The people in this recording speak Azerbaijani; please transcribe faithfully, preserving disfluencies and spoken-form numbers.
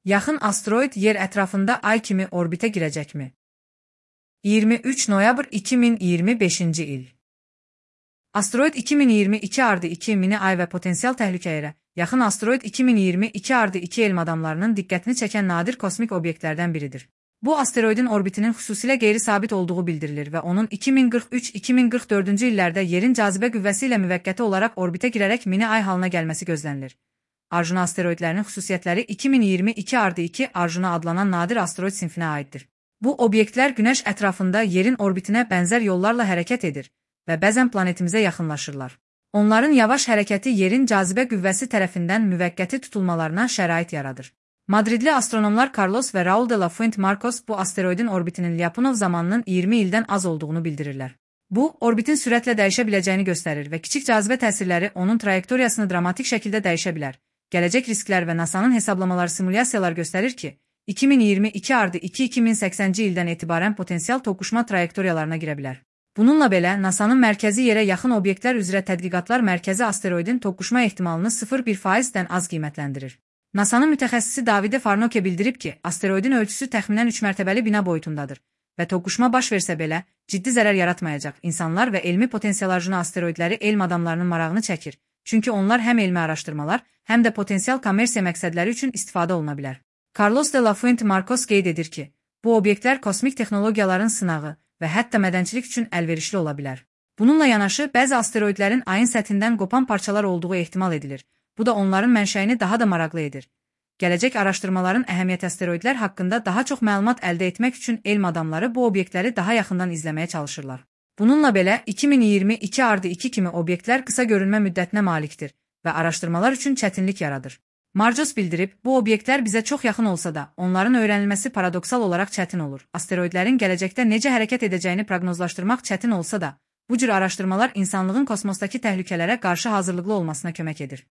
Yaxın asteroid yer ətrafında ay kimi orbitə girəcəkmi? iyirmi üç noyabr iki min iyirmi beşinci il. Asteroid iki min iyirmi iki ardı iki mini ay və potensial təhlükəyə yaxın asteroid iki min iyirmi iki ardı iki elm adamlarının diqqətini çəkən nadir kosmik obyektlərdən biridir. Bu asteroidin orbitinin xüsusilə qeyri-sabit olduğu bildirilir və onun iki min qırx üç iki min qırx dördüncü illərdə yerin cazibə qüvvəsi ilə müvəqqəti olaraq orbitə girərək mini ay halına gəlməsi gözlənilir. Arjuna asteroidlərinin xüsusiyyətləri iki min iyirmi iki ardı iki Arjuna adlanan nadir asteroid sinfinə aiddir. Bu obyektlər Günəş ətrafında yerin orbitinə bənzər yollarla hərəkət edir və bəzən planetimizə yaxınlaşırlar. Onların yavaş hərəkəti yerin cazibə qüvvəsi tərəfindən müvəqqəti tutulmalarına şərait yaradır. Madridli astronomlar Carlos və Raul de la Fuente Marcos bu asteroidin orbitinin Lyapunov zamanının iyirmi ildən az olduğunu bildirirlər. Bu, orbitin sürətlə dəyişə biləcəyini göstərir və kiçik cazibə təsirləri onun trayektoriyasını dramatik şəkildə dəyişə bilər. Gələcək risklər və NASA'nın hesablamaları simulyasiyalar göstərir ki, iki min iyirmi iki ardı iki iki min səksənci ildən etibarən potensial toqquşma trayektoriyalarına girə bilər. Bununla belə, NASA'nın mərkəzi yerə yaxın obyektlər üzrə tədqiqatlar mərkəzi asteroidin toqquşma ehtimalını sıfır bir faizdən az qiymətləndirir. NASA'nın mütəxəssisi Davide Farnoke bildirib ki, asteroidin ölçüsü təxminən üç mərtəbəli bina boyutundadır və toqquşma baş versə belə, ciddi zərər yaratmayacaq. İnsanlar və elmi potensial Arjuna asteroidləri elm adamlarının marağını çəkir, çünki onlar həm elmi araşdırmalar, həm də potensial kommersiya məqsədləri üçün istifadə oluna bilər. Carlos de la Fuente Marcos qeyd edir ki, bu obyektlər kosmik texnologiyaların sınağı və hətta mədənçilik üçün əlverişli ola bilər. Bununla yanaşı, bəzi asteroidlərin ayın səthindən qopan parçalar olduğu ehtimal edilir. Bu da onların mənşəyini daha da maraqlı edir. Gələcək araşdırmaların əhəmiyyət asteroidlər haqqında daha çox məlumat əldə etmək üçün elm adamları bu obyektləri daha yaxından izləməyə çalışırlar. Bununla belə, iki min iyirmi iki ardı iki kimi obyektlər qısa görünmə müddətinə malikdir və araşdırmalar üçün çətinlik yaradır. Marcos bildirib, bu obyektlər bizə çox yaxın olsa da, onların öyrənilməsi paradoksal olaraq çətin olur. Asteroidlərin gələcəkdə necə hərəkət edəcəyini proqnozlaşdırmaq çətin olsa da, bu cür araşdırmalar insanlığın kosmosdakı təhlükələrə qarşı hazırlıqlı olmasına kömək edir.